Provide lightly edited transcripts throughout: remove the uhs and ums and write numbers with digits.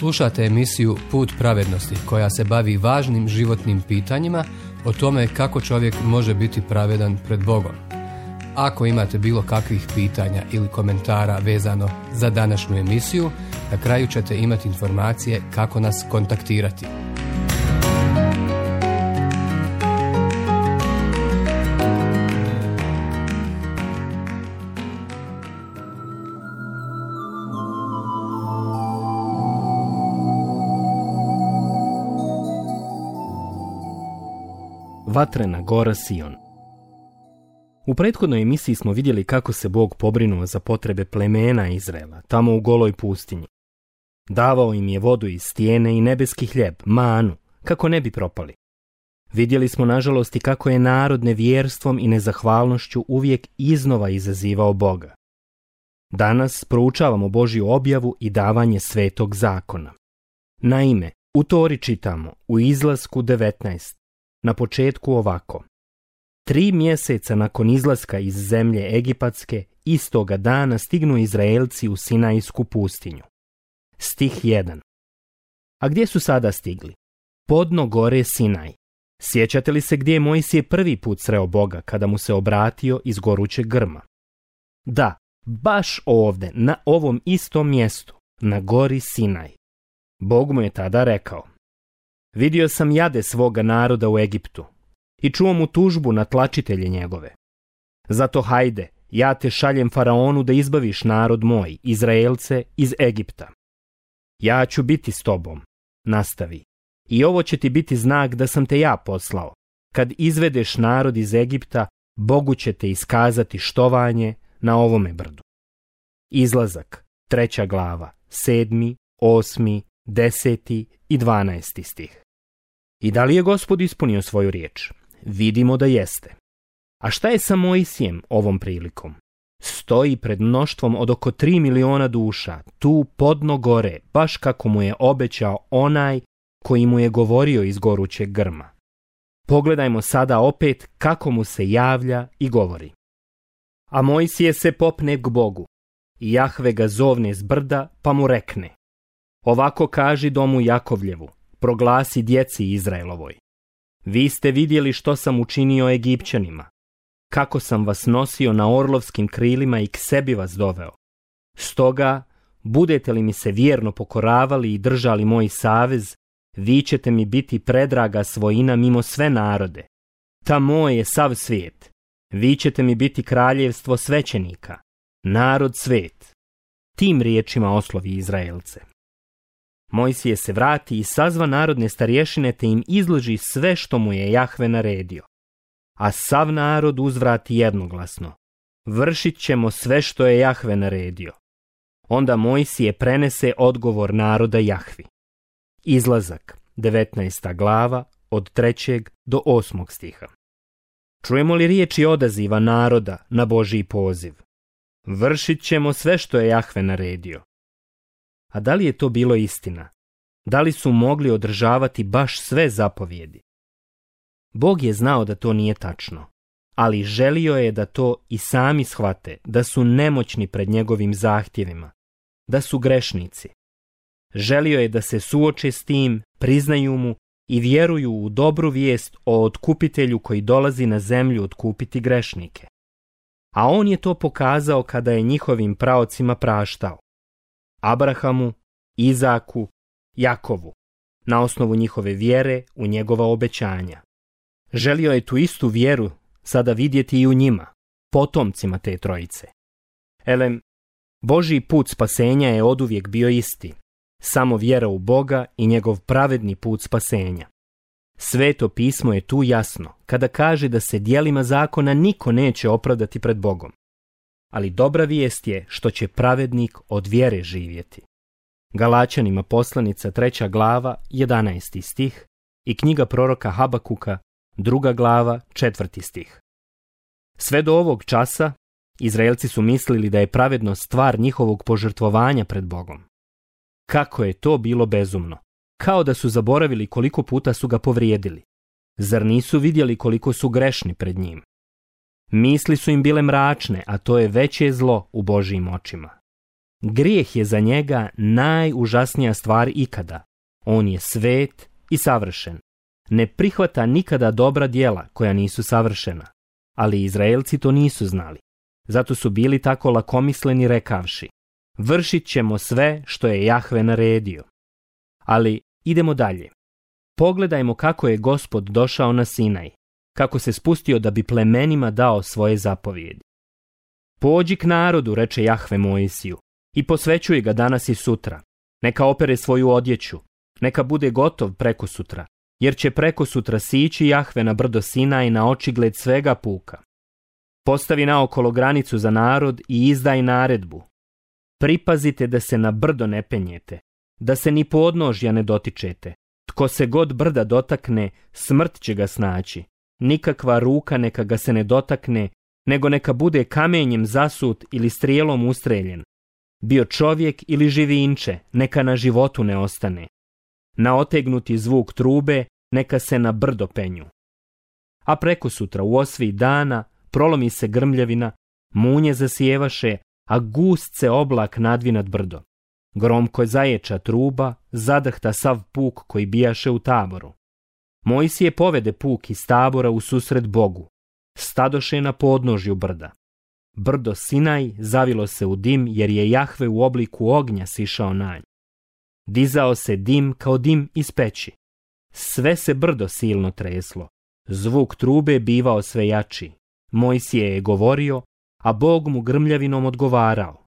Slušate emisiju Put pravednosti koja se bavi važnim životnim pitanjima o tome kako čovjek može biti pravedan pred Bogom. Ako imate bilo kakvih pitanja ili komentara vezano za današnju emisiju, na kraju ćete imati informacije kako nas kontaktirati. Vatrena gora Sion. U prethodnoj emisiji smo vidjeli kako se Bog pobrinuo za potrebe plemena Izraela, tamo u goloj pustinji. Davao im je vodu iz stijene i nebeski hljeb, manu, kako ne bi propali. Vidjeli smo nažalost i kako je narod nevjerstvom i nezahvalnošću uvijek iznova izazivao Boga. Danas proučavamo Božju objavu i davanje svetog zakona. Naime, u Tori čitamo u Izlasku 19, na početku ovako. 3 mjeseca nakon izlaska iz zemlje Egipatske, istoga dana stignu Izraelci u Sinajsku pustinju. Stih 1. A gdje su sada stigli? Podno gore Sinaj. Sjećate li se gdje je Mojsije prvi put sreo Boga kada mu se obratio iz gorućeg grma? Da, baš ovdje, na ovom istom mjestu, na gori Sinaj. Bog mu je tada rekao: vidio sam jade svoga naroda u Egiptu i čuo mu tužbu na tlačitelje njegove. Zato hajde, ja te šaljem faraonu da izbaviš narod moj, Izraelce, iz Egipta. Ja ću biti s tobom, nastavi, i ovo će ti biti znak da sam te ja poslao. Kad izvedeš narod iz Egipta, Bogu će te iskazati štovanje na ovome brdu. Izlazak, 3. glava, 7., 8., 10. i 12. stih. I da li je Gospod ispunio svoju riječ? Vidimo da jeste. A šta je sa Mojsijem ovom prilikom? Stoji pred mnoštvom od oko 3 miliona duša, tu podno gore, baš kako mu je obećao onaj koji mu je govorio iz gorućeg grma. Pogledajmo sada opet kako mu se javlja i govori. A Mojsije se popne k Bogu, i Jahve ga zovne s brda, pa mu rekne: ovako kaži domu Jakovljevu, proglasi djeci Izraelovoj. Vi ste vidjeli što sam učinio Egipćanima, kako sam vas nosio na orlovskim krilima i k sebi vas doveo. Stoga, budete li mi se vjerno pokoravali i držali moj savez, vi ćete mi biti predraga svojina mimo sve narode. Ta moj je sav svijet. Vi ćete mi biti kraljevstvo svećenika, narod svet. Tim riječima oslovi Izraelce. Mojsije se vrati i sazva narodne starješine te im izloži sve što mu je Jahve naredio. A sav narod uzvrati jednoglasno: vršit ćemo sve što je Jahve naredio. Onda Mojsije prenese odgovor naroda Jahvi. Izlazak, 19. glava, od 3. do 8. stiha. Čujemo li riječi odaziva naroda na Božji poziv? Vršit ćemo sve što je Jahve naredio. A da li je to bilo istina? Da li su mogli održavati baš sve zapovjedi? Bog je znao da to nije tačno, ali želio je da to i sami shvate, da su nemoćni pred njegovim zahtjevima, da su grešnici. Želio je da se suoče s tim, priznaju mu i vjeruju u dobru vijest o otkupitelju koji dolazi na zemlju otkupiti grešnike. A on je to pokazao kada je njihovim praocima praštao: Abrahamu, Izaku, Jakovu, na osnovu njihove vjere u njegova obećanja. Želio je tu istu vjeru sada vidjeti i u njima, potomcima te trojice. Elem, Božji put spasenja je oduvijek bio isti, samo vjera u Boga i njegov pravedni put spasenja. Sveto pismo je tu jasno kada kaže da se djelima zakona niko neće opravdati pred Bogom. Ali dobra vijest je što će pravednik od vjere živjeti. Galačanima poslanica 3. glava, 11. stih i knjiga proroka Habakuka, 2. glava, 4. stih. Sve do ovog časa Izraelci su mislili da je pravednost stvar njihovog požrtvovanja pred Bogom. Kako je to bilo bezumno, kao da su zaboravili koliko puta su ga povrijedili. Zar nisu vidjeli koliko su grešni pred njim? Misli su im bile mračne, a to je veće zlo u Božjim očima. Grijeh je za njega najužasnija stvar ikada. On je svet i savršen. Ne prihvata nikada dobra djela koja nisu savršena. Ali Izraelci to nisu znali. Zato su bili tako lakomisleni rekavši: vršit ćemo sve što je Jahve naredio. Ali idemo dalje. Pogledajmo kako je Gospod došao na Sinaj, kako se spustio da bi plemenima dao svoje zapovjedi. Pođi k narodu, reče Jahve Mojsiju, i posvećuj ga danas i sutra. Neka opere svoju odjeću, neka bude gotov prekosutra, jer će prekosutra sići Jahve na brdo Sinaj na očigled svega puka. Postavi naokolo granicu za narod i izdaj naredbu. Pripazite da se na brdo ne penjete, da se ni podnožja ne dotičete. Tko se god brda dotakne, smrt će ga snaći. Nikakva ruka neka ga se ne dotakne, nego neka bude kamenjem zasut ili strijelom ustreljen. Bio čovjek ili živinče, neka na životu ne ostane. Na otegnuti zvuk trube, neka se na brdo penju. A prekosutra u osvi dana prolomi se grmljavina, munje zasijevaše, a gust se oblak nadvi nad brdo. Gromko zaječa truba, zadrhta sav puk koji bijaše u taboru. Mojsije povede puk iz tabora u susret Bogu. Stadoše na podnožju brda. Brdo Sinaj zavilo se u dim, jer je Jahve u obliku ognja sišao na nj. Dizao se dim kao dim iz peći. Sve se brdo silno treslo. Zvuk trube bivao sve jači. Mojsije je govorio, a Bog mu grmljavinom odgovarao.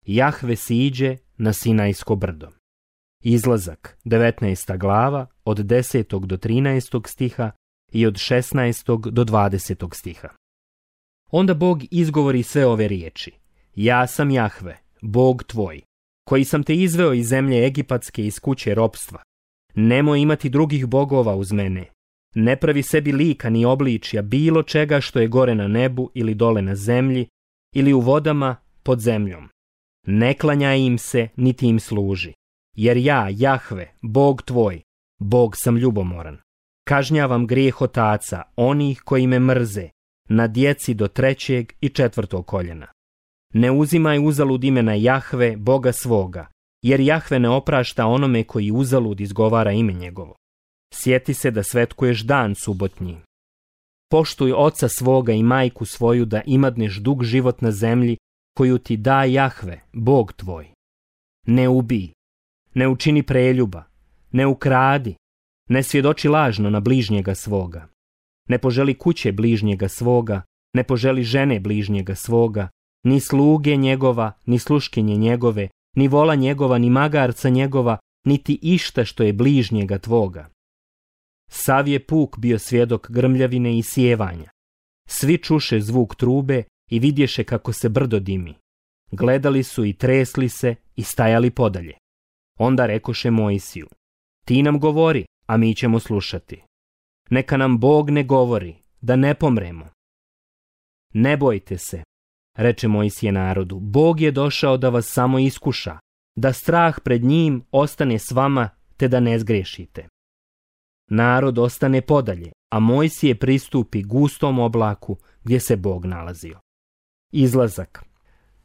Jahve siđe na Sinajsko brdo. Izlazak, 19. glava, od 10. do 13. stiha i od 16. do 20. stiha. Onda Bog izgovori sve ove riječi. Ja sam Jahve, Bog tvoj, koji sam te izveo iz zemlje Egipatske iz kuće ropstva. Nemoj imati drugih bogova uz mene. Ne pravi sebi lika ni obličja bilo čega što je gore na nebu ili dole na zemlji ili u vodama pod zemljom. Ne klanjaj im se, niti im služi. Jer ja, Jahve, Bog tvoj, Bog sam ljubomoran. Kažnjavam grijeh otaca, onih koji me mrze, na djeci do 3. i 4. koljena. Ne uzimaj uzalud imena Jahve, Boga svoga, jer Jahve ne oprašta onome koji uzalud izgovara ime njegovo. Sjeti se da svetkuješ dan subotnji. Poštuj oca svoga i majku svoju da imadneš dug život na zemlji koju ti da Jahve, Bog tvoj. Ne ubij, ne učini preljuba, ne ukradi, ne svjedoči lažno na bližnjega svoga. Ne poželi kuće bližnjega svoga, ne poželi žene bližnjega svoga, ni sluge njegova, ni sluškinje njegove, ni vola njegova, ni magarca njegova, niti išta što je bližnjega tvoga. Sav je puk bio svjedok grmljavine i sjevanja. Svi čuše zvuk trube i vidješe kako se brdo dimi. Gledali su i tresli se i stajali podalje. Onda rekoše Mojsiju: ti nam govori, a mi ćemo slušati. Neka nam Bog ne govori, da ne pomremo. Ne bojte se, reče Mojsije narodu, Bog je došao da vas samo iskuša, da strah pred njim ostane s vama, te da ne zgrešite. Narod ostane podalje, a Mojsije pristupi gustom oblaku gdje se Bog nalazio. Izlazak,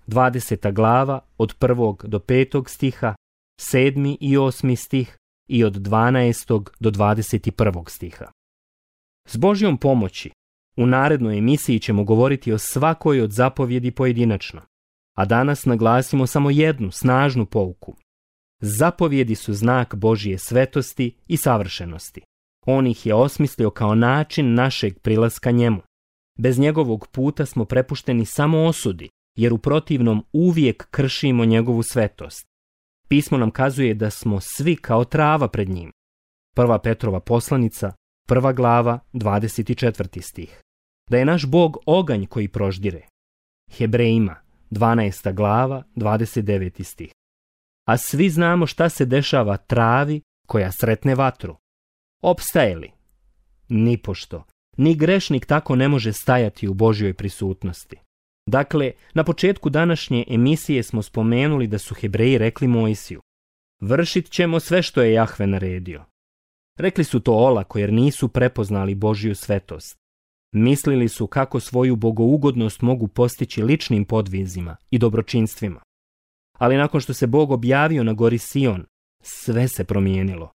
20. glava, od 1. do 5. stiha, 7. i 8. stih i od 12. do 21. stiha. S Božjom pomoći, u narednoj emisiji ćemo govoriti o svakoj od zapovjedi pojedinačno, a danas naglasimo samo jednu snažnu pouku. Zapovjedi su znak Božje svetosti i savršenosti. On ih je osmislio kao način našeg prilaska njemu. Bez njegovog puta smo prepušteni samo osudi, jer u protivnom uvijek kršimo njegovu svetost. Pismo nam kazuje da smo svi kao trava pred njim. 1. Petrova poslanica, 1. glava, 24. stih. Da je naš Bog oganj koji proždire. Hebrejima, 12. glava, 29. stih. A svi znamo šta se dešava travi koja sretne vatru. Opstaje li? Nipošto. Ni grešnik tako ne može stajati u Božjoj prisutnosti. Dakle, na početku današnje emisije smo spomenuli da su Hebreji rekli Mojsiju: vršit ćemo sve što je Jahve naredio. Rekli su to olako jer nisu prepoznali Božju svetost. Mislili su kako svoju bogougodnost mogu postići ličnim podvizima i dobročinstvima. Ali nakon što se Bog objavio na gori Sion, sve se promijenilo.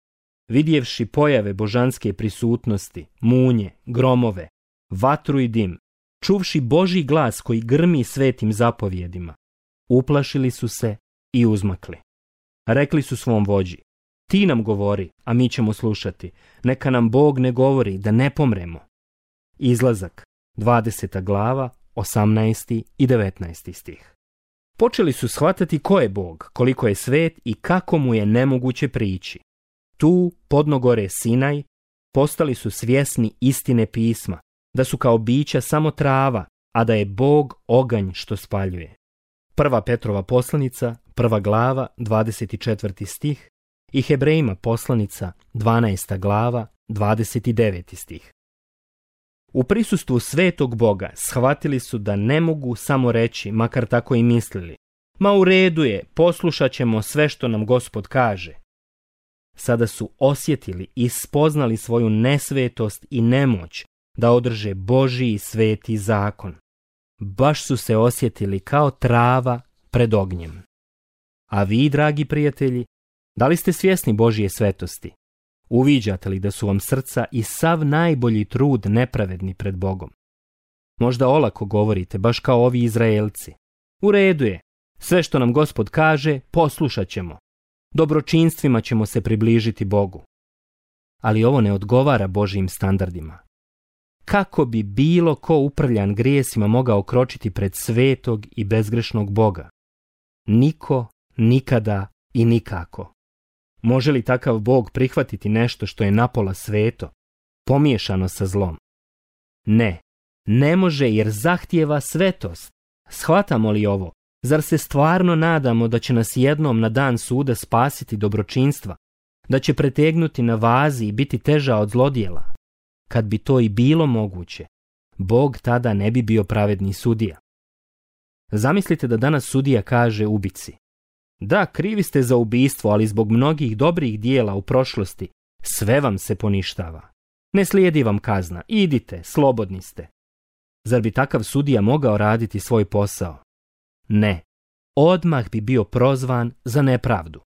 Vidjevši pojave božanske prisutnosti, munje, gromove, vatru i dim, čuvši Božji glas koji grmi svetim zapovjedima, uplašili su se i uzmakli. Rekli su svom vođi: ti nam govori, a mi ćemo slušati. Neka nam Bog ne govori, da ne pomremo. Izlazak, 20. glava, 18. i 19. stih. Počeli su shvatati ko je Bog, koliko je svet i kako mu je nemoguće prići. Tu, podno gore Sinaj, postali su svjesni istine pisma, da su kao bića samo trava, a da je Bog oganj što spaljuje. 1. Petrova poslanica, 1. glava, 24. stih i Hebrejima poslanica, 12. glava, 29. stih. U prisustvu svetog Boga shvatili su da ne mogu samo reći, makar tako i mislili: ma u redu je, poslušat ćemo sve što nam Gospod kaže. Sada su osjetili i spoznali svoju nesvetost i nemoć da održe Božji sveti zakon. Baš su se osjetili kao trava pred ognjem. A vi, dragi prijatelji, da li ste svjesni Božje svetosti? Uviđate li da su vam srca i sav najbolji trud nepravedni pred Bogom? Možda olako govorite, baš kao ovi Izraelci: u redu je, sve što nam Gospod kaže, poslušat ćemo. Dobročinstvima ćemo se približiti Bogu. Ali ovo ne odgovara Božjim standardima. Kako bi bilo ko uprljan grijesima mogao kročiti pred svetog i bezgrešnog Boga? Niko, nikada i nikako. Može li takav Bog prihvatiti nešto što je napola sveto, pomiješano sa zlom? Ne, ne može, jer zahtijeva svetost. Shvatamo li ovo? Zar se stvarno nadamo da će nas jednom na dan suda spasiti dobročinstva, da će pretegnuti na vazi i biti teža od zlodjela? Kad bi to i bilo moguće, Bog tada ne bi bio pravedni sudija. Zamislite da danas sudija kaže ubici: da, krivi ste za ubistvo, ali zbog mnogih dobrih dijela u prošlosti sve vam se poništava. Ne slijedi vam kazna, idite, slobodni ste. Zar bi takav sudija mogao raditi svoj posao? Ne, odmah bi bio prozvan za nepravdu.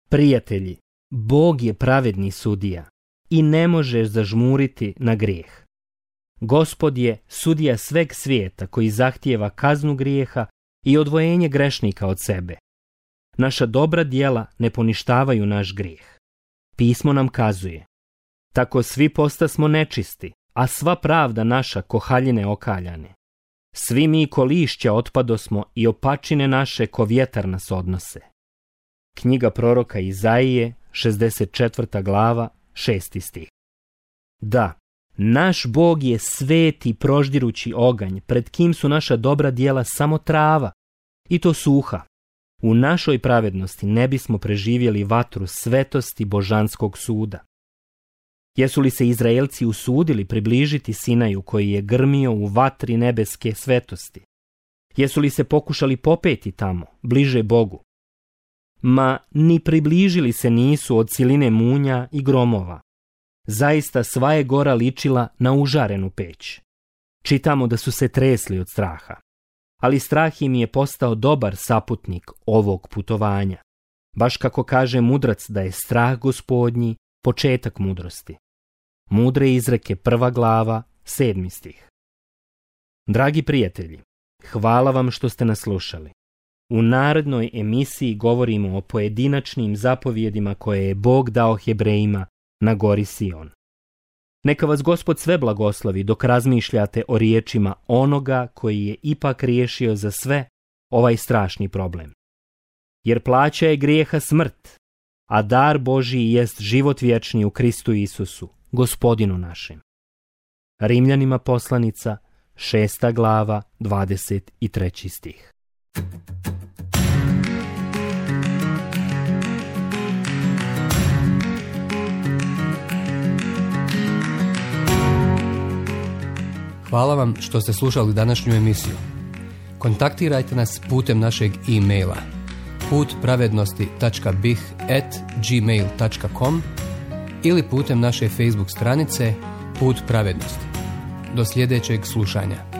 Prijatelji, Bog je pravedni sudija i ne možeš zažmuriti na grijeh. Gospod je sudija sveg svijeta koji zahtijeva kaznu grijeha i odvojenje grešnika od sebe. Naša dobra djela ne poništavaju naš grijeh. Pismo nam kazuje: tako svi postasmo nečisti, a sva pravda naša ko haljine okaljane. Svi mi ko lišća otpadosmo i opačine naše ko vjetar nas odnose. Knjiga proroka Izaije, 64. glava, 6. stih. Da, naš Bog je sveti proždirući oganj, pred kim su naša dobra djela samo trava, i to suha. U našoj pravednosti ne bismo preživjeli vatru svetosti božanskog suda. Jesu li se Izraelci usudili približiti Sinaju koji je grmio u vatri nebeske svetosti? Jesu li se pokušali popeti tamo, bliže Bogu? Ma, ni približili se nisu od siline munja i gromova. Zaista sva je gora ličila na užarenu peć. Čitamo da su se tresli od straha. Ali strah im je postao dobar saputnik ovog putovanja. Baš kako kaže mudrac da je strah Gospodnji početak mudrosti. Mudre izreke 1. glava, 7. stih. Dragi prijatelji, hvala vam što ste nas slušali. U narednoj emisiji govorimo o pojedinačnim zapovjedima koje je Bog dao Hebrejima na gori Sion. Neka vas Gospod sve blagoslovi dok razmišljate o riječima onoga koji je ipak riješio za sve ovaj strašni problem. Jer plaća je grijeha smrt, a dar Božji jest život vječni u Kristu Isusu, Gospodinu našem. Rimljanima poslanica, 6. glava, 23. stih. Hvala vam što ste slušali današnju emisiju. Kontaktirajte nas putem našeg e-maila putpravednosti.bih@gmail.com ili putem naše Facebook stranice Put pravednosti. Do sljedećeg slušanja.